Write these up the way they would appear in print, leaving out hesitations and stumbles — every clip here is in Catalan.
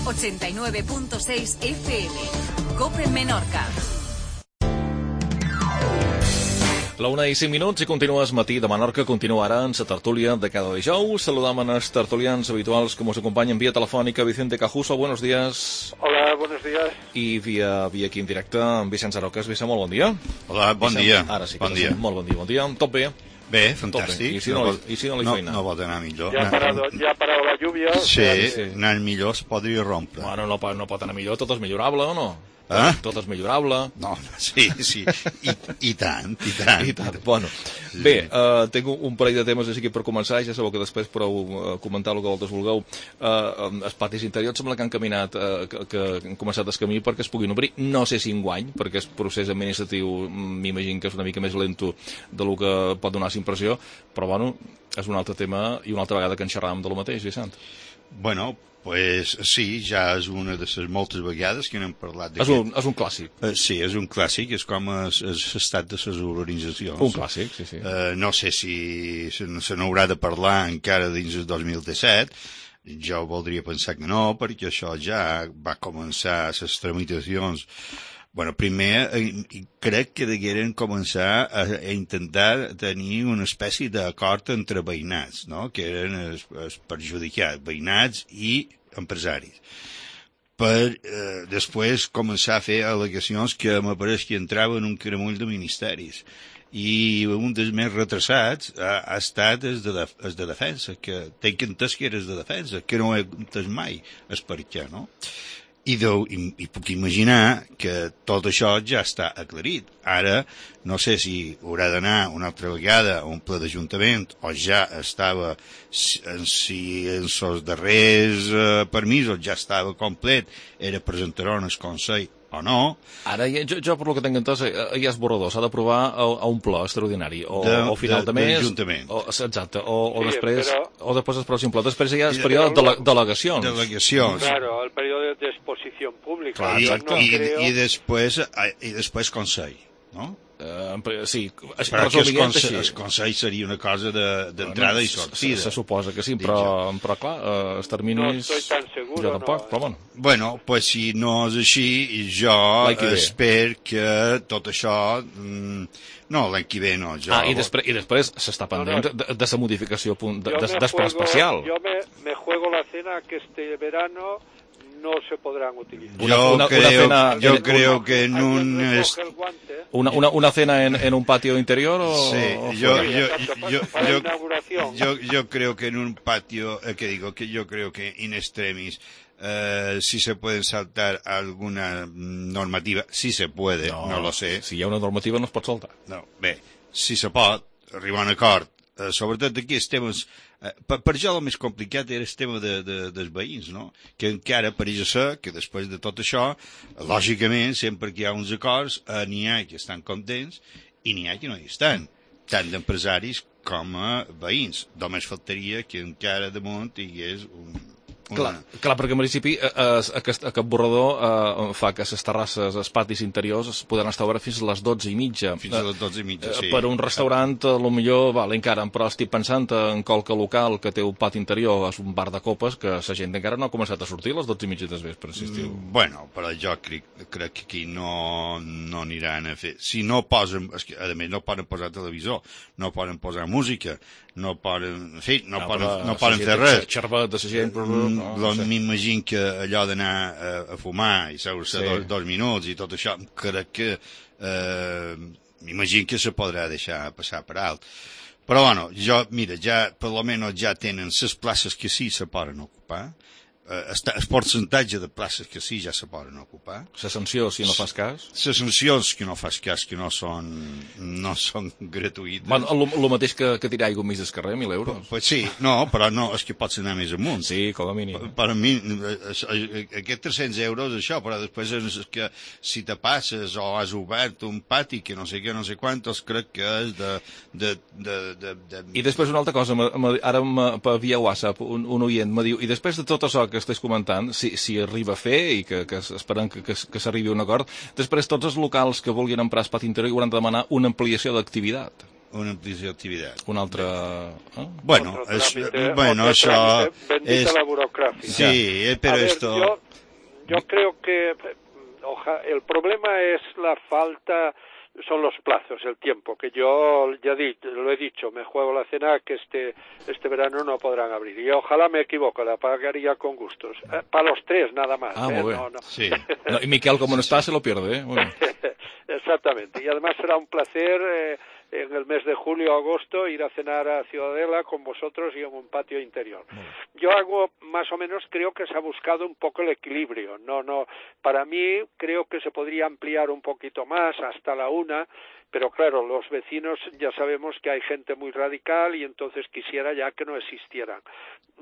89.6 FM. COPE Menorca. La 1:05 i continues matí de Menorca. Continua ara en la tertúlia de cada dijous. Saludam a els tertulians habituals que ens acompanyen via telefònica. Vicente Cajuso, buenos días. Hola, buenos días. I via aquí en directe amb Vicenç Aroques. Vicent, molt bon dia. Hola, bon dia. Ara sí que bon dia. Molt bon dia. Tot bé? Bé, fantàstic. I si no li feina? No pot anar millor. Ja ha parado la lluvia. Sí, anar millor es podria rompre. Bueno, no pot anar millor, tot és millorable, o no? Tot és millorable. No, sí. I tant. Bueno, sí. Bé, tinc un parell de temes així per començar, ja sabeu que després podeu comentar el que vosaltres vulgueu. Els patis interiors sembla que han caminat, que han començat el camí perquè es puguin obrir, no sé si enguany, perquè el procés administratiu m'imagino que és una mica més lento del que pot donar la impressió, però bueno, és un altre tema i una altra vegada que en xerràvem de lo mateix, Vicent. Bueno, pues sí, ja és una de les moltes vegades que n'hem parlat. És un clàssic. Sí, és un clàssic, és com l'estat de les organitzacions. Un clàssic, sí. No sé si se n'haurà de parlar encara dins el 2017, jo voldria pensar que no, perquè això ja va començar les tramitacions. Bueno, primer crec que degueren començar a intentar tenir una espècie d'acord entre veïnats, no? Que eren els perjudicats, veïnats i empresaris, per després començar a fer al·legacions que m'apareix que entraven en un caramull de ministeris. I un dels més retrasats ha estat el de defensa, que tinc entès que era el de defensa, que no he entès mai el per què, no? I puc imaginar que tot això ja està aclarit. Ara, no sé si haurà d'anar una altra vegada a un ple d'Ajuntament o ja estava, si en els darrers permisos ja estava complet, era presentar-ho al Consell o no. Ara, jo per lo que tinc entès, ja és borrador, s'ha d'aprovar a un ple extraordinari, o final de mes, exacte, o després es prou simple. Després hi ha el període de delegacions. Claro, el període d'exposició pública. I després Consell, no? Sí, perquè el Consell seria una cosa d'entrada i sortida. Se suposa que sí, però clar, els terminis... No estoy tan seguro, jo tampoc, però bueno. Bueno, pues si no és així, jo espero que tot això... No, l'any que ve no. I després s'està pendent de la modificació d'espai especial. Jo me juego la cena que este verano no se podrán utilizar. Yo creo que en una cena en un patio interior o sí, yo creo que en un patio yo creo que in extremis si se pueden saltar alguna normativa, si se puede, no lo sé. Si hi ha una normativa no es pot saltar. No, bé, si se pot arribar a un acord, sobretot aquí els temes. Per jo el més complicat era el tema dels veïns, no? Que encara pareix ser que després de tot això, lògicament, sempre que hi ha uns acords, n'hi ha que estan contents i n'hi ha que no hi estan, tant d'empresaris com a veïns. Només faltaria que encara damunt hi hagués Clar, perquè en principi aquest borrador fa que les terrasses, els patis interiors es podran estar oberts fins a les 12:30. Fins a les 12:30, sí. Per un restaurant, potser, encara, però estic pensant en qualque local que té un pati interior, és un bar de copes, que la gent encara no ha començat a sortir a les 12:30 del vespre, si estiu. Bueno, però jo crec que aquí no aniran a fer... Si no posen... A més, no poden posar televisor, no poden posar música, no poden fer res. Xervat de la gent... M'imagino que allò d'anar a fumar i seure-se 2 minuts i tot això, crec que m'imagino que se podrà deixar passar per alt. Però bueno, mira, per lo menos ja tenen les places que sí se poden ocupar, el percentatge de places que sí ja se poden ocupar. La sanció, si no fas cas? Les sancions que no fas cas, que no són gratuïtes. Bueno, el mateix que tirar aigua enmig del carrer, 1.000 euros. Pues sí, no, però no, és que pots anar més amunt. Sí, com a mínim. Per a mi, aquests 300 euros, això, però després és que si te passes o has obert un pati que no sé què, no sé quantos, crec que és I després una altra cosa, ara per via WhatsApp un oient me diu, i després de tot això que estàs comentant, si arriba a fer i que esperem que s'arribi a un acord, després tots els locals que vulguin emprar el pati interior hauran de demanar una ampliació d'activitat. una ampliació d'activitat. Un altre... Bueno, això bendita la burocracia. Sí, pero esto... Yo creo que el problema es la falta, son los plazos, el tiempo, que yo ya lo he dicho, me juego la cena que este verano no podrán abrir. Y ojalá me equivoco, la pagaría con gustos. Para los tres nada más. Muy bien. No. Sí. No, y Miquel, como no está, se lo pierde, Muy bien. Exactamente. Y además será un placer en el mes de julio o agosto ir a cenar a Ciudadela con vosotros y en un patio interior. Yo hago más o menos, creo que se ha buscado un poco el equilibrio. No, para mí creo que se podría ampliar un poquito más hasta la 1, pero claro, los vecinos ya sabemos que hay gente muy radical y entonces quisiera ya que no existieran.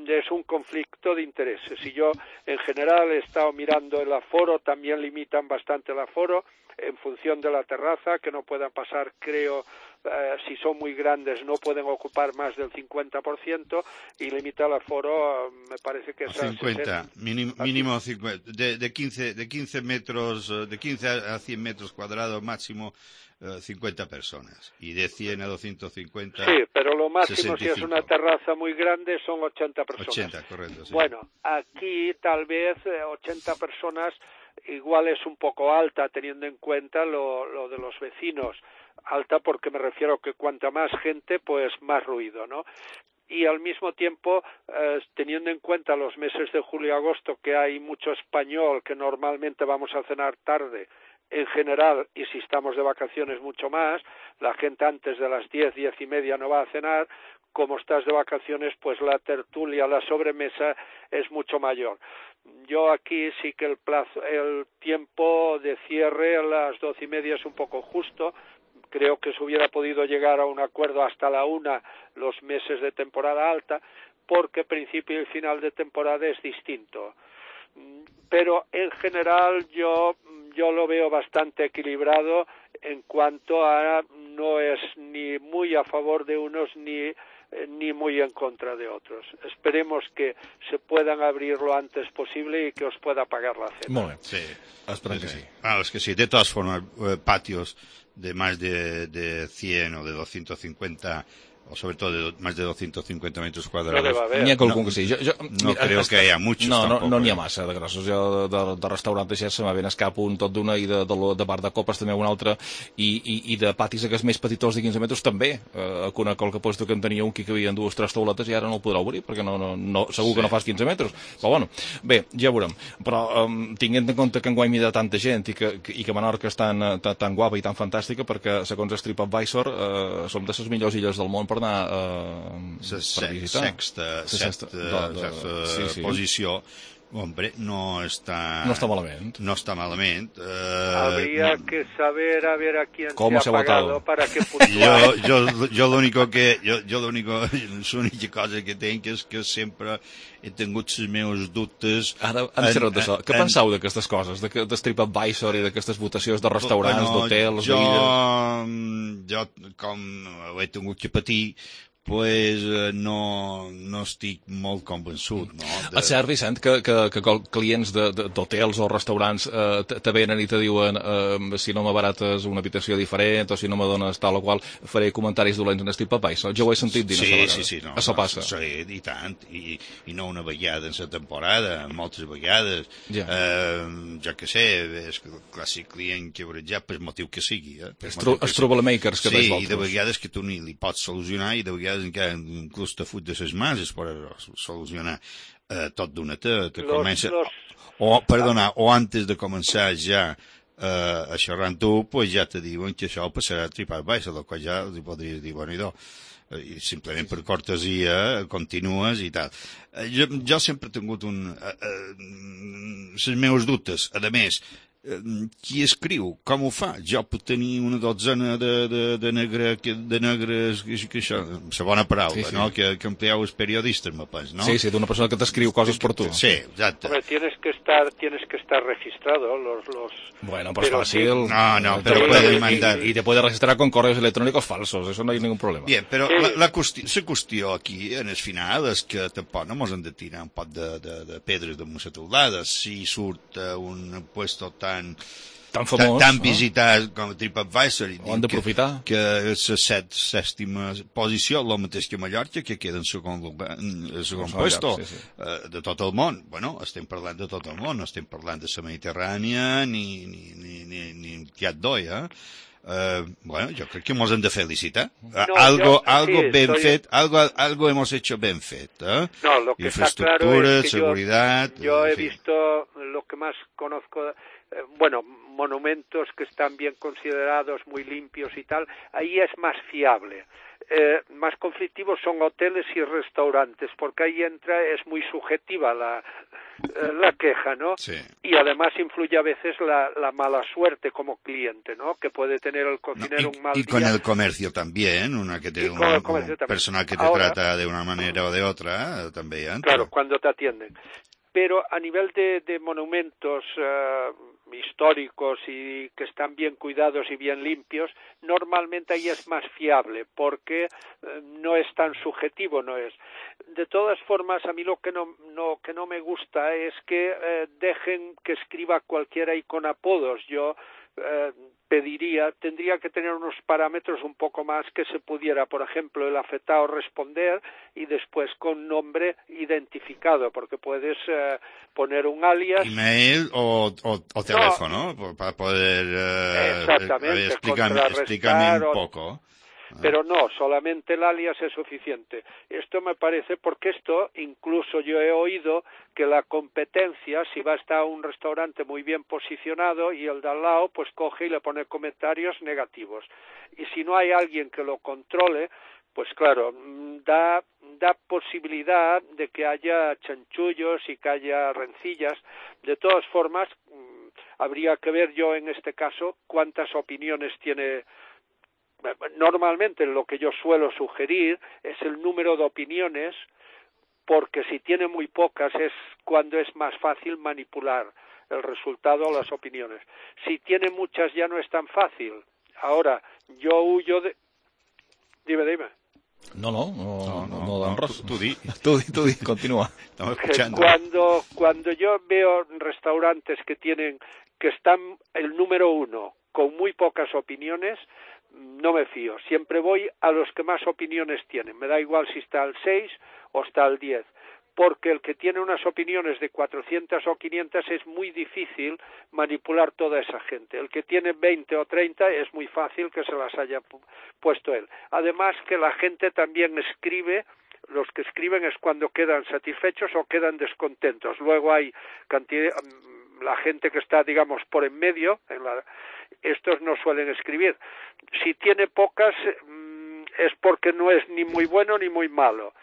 Es un conflicto de intereses. Y yo en general he estado mirando el aforo, también limitan bastante el aforo en función de la terraza, que no puedan pasar, creo, si son muy grandes no pueden ocupar más del 50% y limita el aforo, me parece que es 50, mínimo 50, de 15 metros, de 15 a 100 metros cuadrados máximo 50 personas y de 100 a 250. Sí, pero lo máximo 65. Si es una terraza muy grande son 80 personas. 80, correcto. Sí. Bueno, aquí tal vez 80 personas igual es un poco alta teniendo en cuenta lo de los vecinos. Alta porque me refiero que cuanta más gente, pues más ruido, ¿no? Y al mismo tiempo, teniendo en cuenta los meses de julio y agosto, que hay mucho español, que normalmente vamos a cenar tarde, en general, y si estamos de vacaciones mucho más, la gente antes de las 10, 10 y media no va a cenar, como estás de vacaciones, pues la tertulia, la sobremesa es mucho mayor. Yo aquí sí que el tiempo de cierre a las 12 y media es un poco justo. Creo que se hubiera podido llegar a un acuerdo hasta la 1 los meses de temporada alta, porque principio y final de temporada es distinto. Pero en general yo lo veo bastante equilibrado en cuanto a no es ni muy a favor de unos ni muy en contra de otros. Esperemos que se puedan abrir lo antes posible y que os pueda pagar la cena. Muy bien. Sí. Esperem que sí. Es que sí. De todas formas, patios de más de 100 o de 250 o sobre todo de más de 250 metros cuadrados. N'hi ha qualcun que sí. No creo que hi ha muchos tampoc. No n'hi ha massa de grossos. Jo de restaurant així se m'ha ben escap un tot d'una i de bar de copes també un altre i de patis aquests més petitons de 15 metres també. Conec el que posto que en tenia un que cabien 2 o 3 tauletes i ara no el podrà obrir perquè segur que no fas 15 metres. Però bueno, bé, ja veurem. Però tinguent en compte que enguany m'hi ha tanta gent i que Menorca és tan guapa i tan fantàstica perquè segons el TripAdvisor som de les millors illes del món per anar per visitar. Sexta posició. Hombre, no está malament. No está malament. Habría que saber a ver a quién se ha pagado para que puntuar. Jo l'única cosa que tinc és que sempre he tingut els meus dubtes. Ara, d'això. Què penseu d'aquestes coses? De TripAdvisor i d'aquestes votacions de restaurants, d'hotels, d'illes? Jo, com ho he tingut que patir, pues no estic molt convençut, no? És cert, Vicent, que clients d'hotels o restaurants te venen i te diuen si no m'abarates una habitació diferent o si no me dones tal o qual, faré comentaris dolents en el TripAdvisor. Jo ho he sentit dir això. Sí. Això passa. Sí, i tant. I no una vegada en la temporada, moltes vegades. Jo què sé, és el clàssic client que ja per motiu que sigui. Els troublemakers que sí, i de vegades que tu ni li pots solucionar i de vegades encara inclús te fot de ses mans es pot solucionar tot d'una te comença o antes de començar ja a xerrar amb tu, pues ja te diuen que això passarà a TripAdvisor, del qual ja li podries dir, bueno, i simplement per cortesia continues i tal. Jo sempre he tingut els meus dubtes, a més, qui escriu, com ho fa? Jo puc tenir una dotzena de negres, que això, la bona paraula, sí. No? Que empleeu els periodistes, me penso, no? Sí, d'una persona que t'escriu coses per tu. Sí, exacte. Hombre, tienes que estar registrado, Bueno, pues fácil. No, pero pueden mandar. Y te puede registrar con correos electrónicos falsos, eso no hay ningún problema. Bien, però la qüestió aquí, en el final, és que tampoc no mos hem de tirar un pot de pedres damunt la teulada. Si surt un puesto tan tan famós, tan visitat com TripAdvisor, ho han d'aprofitar, que és la sèptima posició, el mateix que Mallorca, que queda en segon puesto de tot el món. Bueno, estem parlant de tot el món, no estem parlant de la Mediterrània ni Tiat d'Oi, bueno, yo creo que hemos de felicitar. Algo hemos hecho bien fet, No, lo que infraestructura, está claro es que seguridad. Yo he visto lo que más conozco, bueno, monumentos que están bien considerados, muy limpios y tal, ahí es más fiable. Más conflictivos son hoteles y restaurantes, porque ahí es muy subjetiva la queja, ¿no? Sí. Y además influye a veces la mala suerte como cliente, ¿no? Que puede tener el cocinero un mal día. Y con el comercio también, un personal que te trata de una manera o de otra, también. Claro, cuando te atienden. Pero a nivel de monumentos históricos y que están bien cuidados y bien limpios, normalmente ahí es más fiable porque no es tan subjetivo, no es. De todas formas, a mí lo que no me gusta es que dejen que escriba cualquiera y con apodos. Yo tendría que tener unos parámetros un poco más que se pudiera, por ejemplo, el afectado responder y después con nombre identificado, porque puedes poner un alias. Email o teléfono, para poder explícame un poco. Pero no, solamente el alias es suficiente. Esto me parece, porque esto, incluso yo he oído que la competencia, si va a estar un restaurante muy bien posicionado y el de al lado, pues coge y le pone comentarios negativos. Y si no hay alguien que lo controle, pues claro, da posibilidad de que haya chanchullos y que haya rencillas. De todas formas, habría que ver yo en este caso cuántas opiniones tiene. Normalmente lo que yo suelo sugerir es el número de opiniones, porque si tiene muy pocas es cuando es más fácil manipular el resultado o las opiniones. Si tiene muchas ya no es tan fácil. Ahora, yo huyo de... Dime. No dan res. Tu di, continua. Estamos escuchando. Cuando yo veo restaurantes que están el número 1 con muy pocas opiniones, no me fío. Siempre voy a los que más opiniones tienen. Me da igual si está al 6 o está al 10. Porque el que tiene unas opiniones de 400 o 500 es muy difícil manipular toda esa gente. El que tiene 20 o 30 es muy fácil que se las haya puesto él. Además que la gente también escribe. Los que escriben es cuando quedan satisfechos o quedan descontentos. Luego hay la gente que está, digamos, por en medio, estos no suelen escribir. Si tiene pocas, es porque no es ni muy bueno ni muy malo.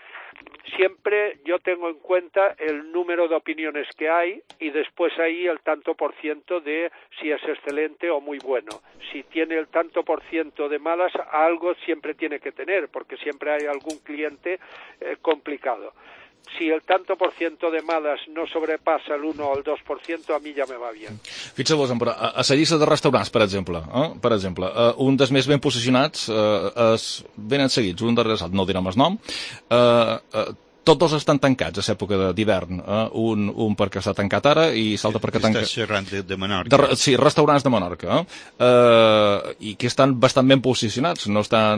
Siempre yo tengo en cuenta el número de opiniones que hay y después ahí el tanto por ciento de si es excelente o muy bueno. Si tiene el tanto por ciento de malas, algo siempre tiene que tener, porque siempre hay algún cliente complicado. Si el tanto por ciento de malas no sobrepassa el 1 o el 2%, a mi ja me va bien. Fixeu-vos, però a la llista de restaurants, per exemple, un dels més ben posicionats venen seguits, un darrere l'altre, no direm el nom, tots dos estan tancats a l'època d'hivern, un perquè està tancat ara i l'altre perquè tanca... Estàs xerrant de Menorca. Sí, restaurants de Menorca, i que estan bastant ben posicionats, un no està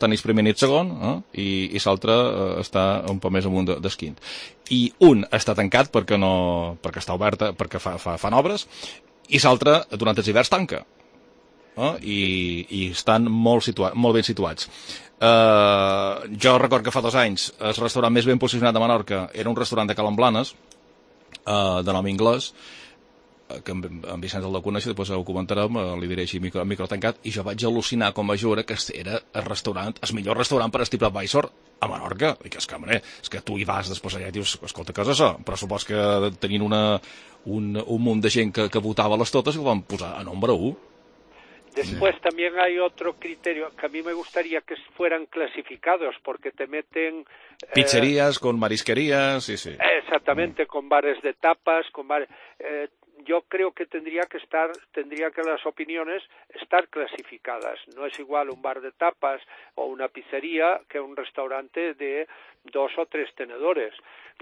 ni primer ni segon, i l'altre està un poc més amunt d'esquint. I un està tancat perquè està obert, perquè fan obres, i l'altre durant els hiverns tanca. I estan molt ben situats. Jo record que fa 2 anys el restaurant més ben posicionat de Menorca era un restaurant de Calamblanes, de nom anglès, que en Vicenç el de conèixer, després ho comentarem, li diré així micro tancat, i jo vaig al·lucinar com a jure que era el millor restaurant per a TripAdvisor a Menorca. I que és que tu hi vas després allà i dius, escolta, què és això? Però supos que tenien un munt de gent que votava les totes i el van posar a nombre 1. Después también hay otro criterio que a mí me gustaría que fueran clasificados, porque te meten... Pizzerías con marisquerías, sí. Exactamente, con bares de tapas, con bares... yo creo que tendría que las opiniones estar clasificadas. No es igual un bar de tapas o una pizzería que un restaurante de 2 o 3 tenedores.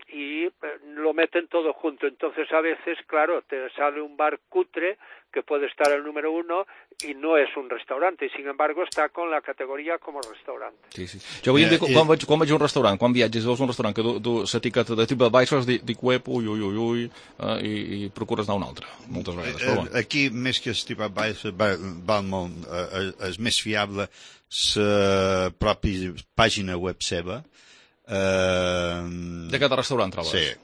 Y lo meten todo junto. Entonces a veces, claro, te sale un bar cutre que puede estar el número 1 y no es un restaurante, y sin embargo está con la categoria como restaurante. Sí, sí. Jo avui en dia, quan vaig a un restaurant, quan viatges, veus un restaurant que du l'etiqueta de TripAdvisor, dic web, ui, i procures anar a un altre, moltes vegades. Però bueno. Aquí, més que el TripAdvisor, val molt, és més fiable la pròpia pàgina web seva. De cada restaurant trobes?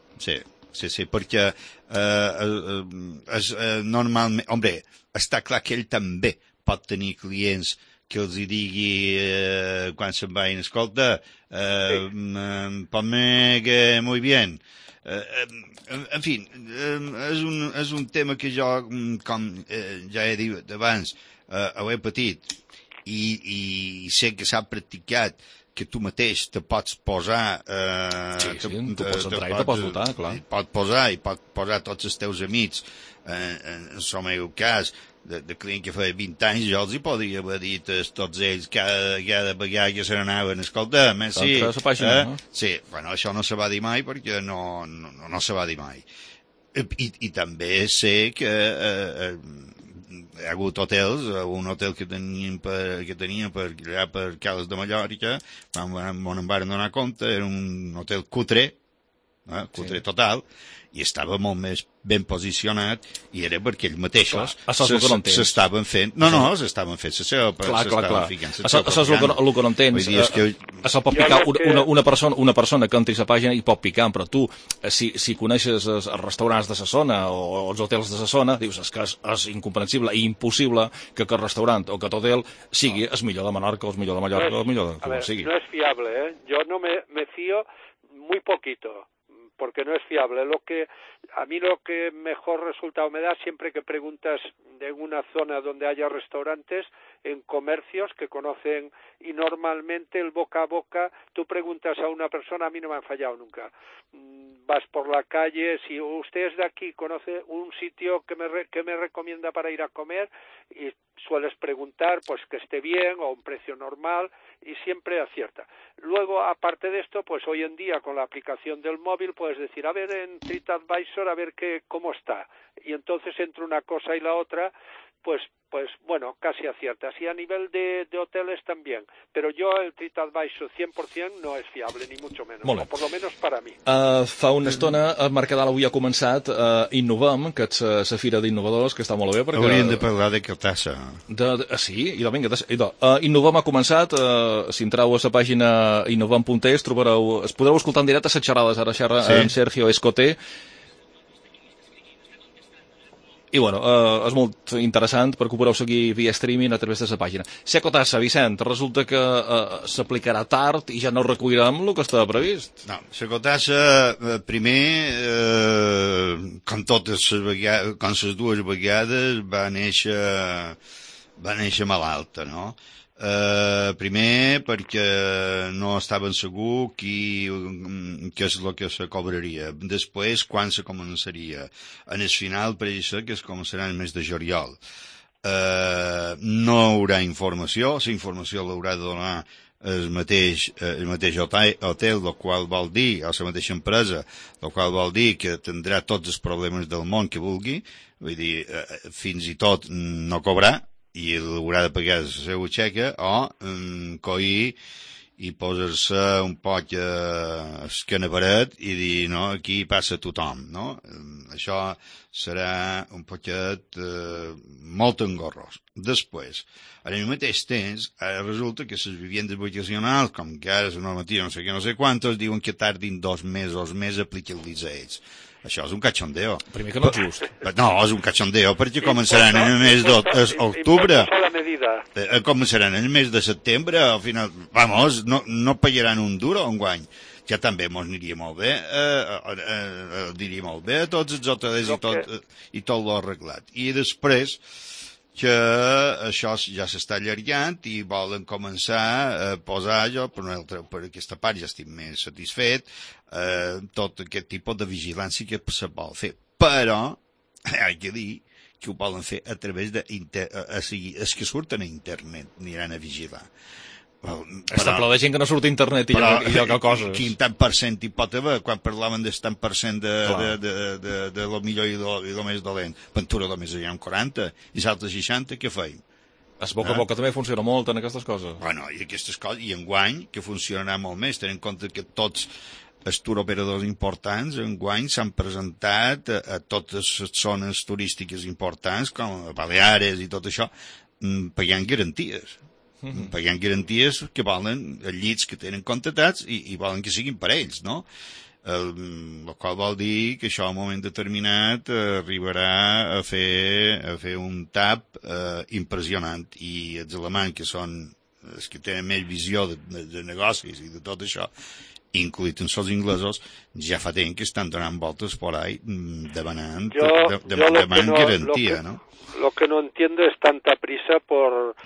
Sí, perquè normalment, home, està clar que ell també pot tenir clients que els hi digui quan se'n vagin, escolta, ponme que muy bien. En fi, és un tema que jo, com ja he dit abans, ho he patit i sé que s'ha practicat, que tu mateix te pots posar... Sí, tu pots entrar i te pots votar, clar. Pot posar tots els teus amics, en el meu cas, de client que feia 20 anys, jo els hi podria haver dit a tots ells cada vegada que se n'anaven, escolta, sí, sí, bueno, això no se va dir mai perquè no se va dir mai. I també sé que hi ha hagut hotels, un hotel que teníem per allà per Cales de Mallorca, quan em van donar compte, era un hotel cutre total, i estava molt més ben posicionat, i era perquè ells mateixos s'estaven fent... No, s'estaven fent la seva... Clar. Això és el que no entens. Això pot picar una persona que entri a la pàgina i pot picar, però tu, si coneixes els restaurants de la zona o els hotels de la zona, dius que és incomprensible i impossible que aquest restaurant o aquest hotel sigui el millor de Menorca o el millor de Mallorca o el millor de com sigui. No es fiable, ¿eh? Yo no me fío muy poquito, porque no es fiable. A mí lo que mejor resultado me da siempre que preguntas en una zona donde haya restaurantes, en comercios que conocen, y normalmente el boca a boca, tú preguntas a una persona, a mí no me han fallado nunca. Vas por la calle, si usted es de aquí, conoce un sitio que me recomienda para ir a comer, y sueles preguntar pues que esté bien o un precio normal, y siempre acierta. Luego, aparte de esto, pues hoy en día con la aplicación del móvil puedes decir, a ver en TripAdvisor, a ver cómo está, y entonces entre una cosa y la otra, pues bueno, casi aciertas. Y a nivel de hoteles también. Pero yo el TripAdvisor 100% no es fiable, ni mucho menos. O por lo menos para mi. Fa una estona el Mercadal avui ha començat Innovem, que és la fira d'innovadors, que està molt bé. Perquè... Hauríem de parlar de Cartassa. Sí, vinga. Innovem ha començat, si entreu a la pàgina innovem.es podreu escoltar en directe les xerrades, ara xerra en Sergio Escoté. I bueno, és molt interessant perquè ho podeu seguir via streaming a través de la pàgina. Secotassa, Vicent, resulta que s'aplicarà tard i ja no recollirem el que estava previst. No, Secotassa, primer, com les dues vegades, va néixer malalta, no? Primer perquè no estaven segurs què és el que se cobraria, després quan se començaria, en el final pareix que es començarà el mes de juliol. No hi haurà informació, la informació l'haurà de donar el mateix hotel, el qual vol dir, o la mateixa empresa, el qual vol dir que tindrà tots els problemes del món que vulgui, vull dir, fins i tot no cobrar, i haurà de pagar la seva xeca o coir i posar-se un poc escanaparet i dir, no, aquí passa tothom, no? Això serà un poquet molt engorrós. Després, al mateix temps, resulta que les viviendes vacacionals, com que ara la normativa no sé què, no sé quantos, diuen que tardin 2 mesos més a aplicar-los a ells. Això és un cachondeo. Primer que no és just. No, és un cachondeo, perquè començaran en el mes d'octubre. Començaran en el mes de setembre, al final, vamos, no pagaran un duro enguany. Ja també mos aniria molt bé, diria molt bé a tots els hotels i tot l'ho arreglat. I després, que això ja s'està allargant i volen començar a posar jo, per aquesta part ja estic més satisfet, tot aquest tipus de vigilància que se vol fer. Però, haig de dir que ho volen fer a través de... els que surten a internet aniran a vigilar. Està ple de gent que no surt a internet i lloga coses. Quin tant per cent hi pot haver quan parlaven del tant per cent de lo millor i lo més dolent? Ventura només hi ha un 40 i l'altre 60, què feim? Es boca a boca també funciona molt en aquestes coses. Bueno, i aquestes coses, i enguany, que funcionarà molt més, tenint en compte que tots els turoperadors importants enguany s'han presentat a totes les zones turístiques importants, com Baleares i tot això, pagant garanties. Pagant garanties que volen els llits que tenen contratats i volen que siguin per ells, no? El qual vol dir que això a un moment determinat arribarà a fer un tap impressionant, i els alemanys, que són els que tenen més visió de negocis i de tot això, incluït en els inglesos, ja fa temps que estan donant voltes por ahí demanant garantia, ¿no? Lo que no entiendo es tanta prisa por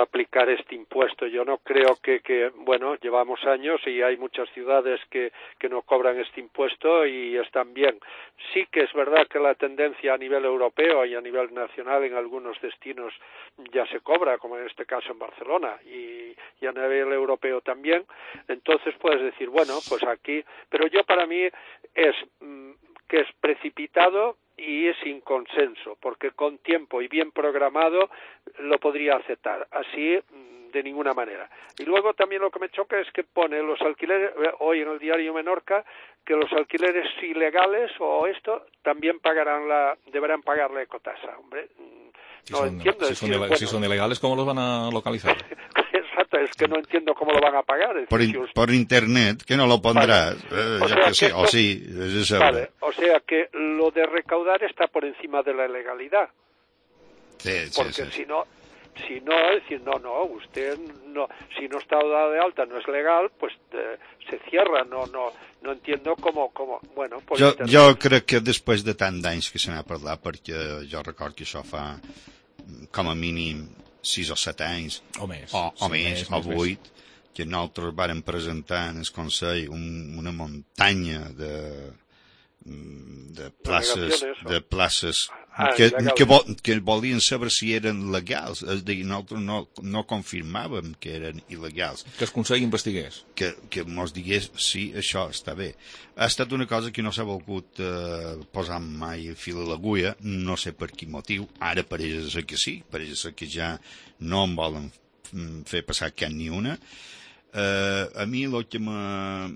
aplicar este impuesto. Yo no creo que bueno, llevamos años y hay muchas ciudades que no cobran este impuesto y están bien. Sí que es verdad que la tendencia a nivel europeo y a nivel nacional en algunos destinos ya se cobra, como en este caso en Barcelona, y a nivel europeo también. Entonces puedes decir, bueno, pues aquí, pero yo para mí es que es precipitado y sin consenso, porque con tiempo y bien programado lo podría aceptar, así de ninguna manera. Y luego también lo que me choca es que pone los alquileres, hoy en el diario Menorca, que los alquileres ilegales o esto también deberán pagar la ecotasa. Hombre, no entiendo. Si son ilegales, ¿cómo los van a localizar? Exacto, es que no entiendo cómo lo van a pagar. Es decir, por internet, que no lo pondrás. Vale. O sea que lo de recaudar está por encima de la legalidad. Porque si no, es decir, no, usted no, si no está dado de alta, no es legal, pues se cierra. No entiendo cómo bueno, pues jo crec que després de tant d'anys que se n'ha parlat, perquè jo record que això fa com a mínim 6 o 7 anys, o més, o 8, que nosaltres vàrem presentar en el Consell una muntanya de places que volien saber si eren legals, és a dir, nosaltres no confirmàvem que eren il·legals. Que el Consell investigués. Que mos digués si això està bé. Ha estat una cosa que no s'ha volgut posar mai el fil a l'agulla, no sé per quin motiu. Ara pareix ser que sí, pareix ser que ja no em volen fer passar cap ni una. A mi el que me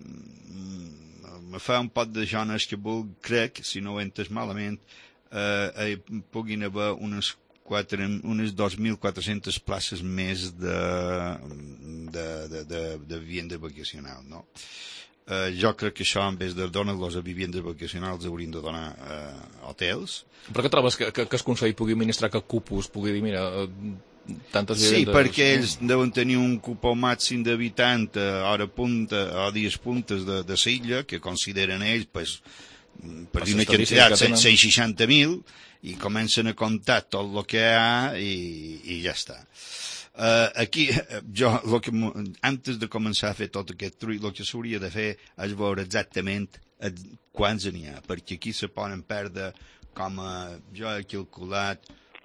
fa un pot de jones que crec, si no ho he entès malament, puguin haver unes 2.400 places més de vivienda vacacional, no? Jo crec que això, en vez de donar-los a viviendes vacacionals, haurien de donar hotels. Per què trobes que el Consell pugui administrar que Cupos pugui dir, mira, tantes vivendes... Sí, perquè ells deuen tenir un cupó màxim d'habitant a hora punta, a dies puntes de l'illa, que consideren ells, pues, per dir una quantitat, 160.000, i comencen a comptar tot el que hi ha i ja està. Aquí, jo, antes de començar a fer tot aquest trull, el que s'hauria de fer és veure exactament quants n'hi ha, perquè aquí se poden perdre, com jo he calculat,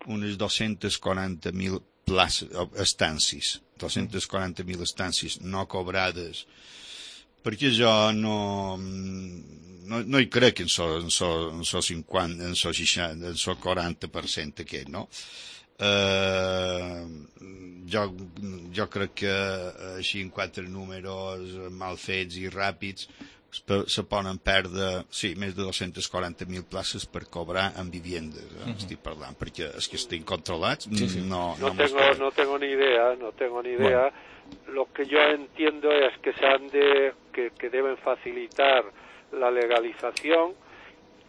unes 240.000 places, estàncies, 240.000 estàncies no cobrades, perquè jo no hi crec en so 50, en so 60, en so 40% aquest, no? Jo crec que així en 4 números mal fets i ràpids se poden perdre, sí, més de 240.000 places per cobrar en viviendes, estic parlant, perquè és que estic controlats. No tengo ni idea. Bueno. Lo que yo entiendo es que que deben facilitar la legalización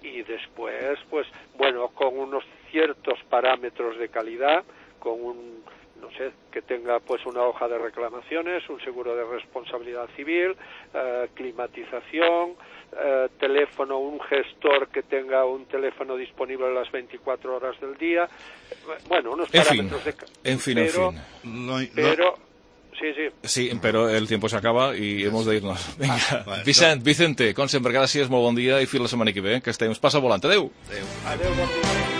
y después, pues, bueno, con unos ciertos parámetros de calidad, con no sé, que tenga pues una hoja de reclamaciones, un seguro de responsabilidad civil, climatización, teléfono, un gestor que tenga un teléfono disponible las 24 horas del día, bueno, unos parámetros en fin. Pero Sí, pero el tiempo se acaba y hemos de irnos. Venga, Vicente, com sempre, gràcies, molt bon dia i fins la setmana que ve, que estem. Passa volant. Adéu. Adéu, bon dia.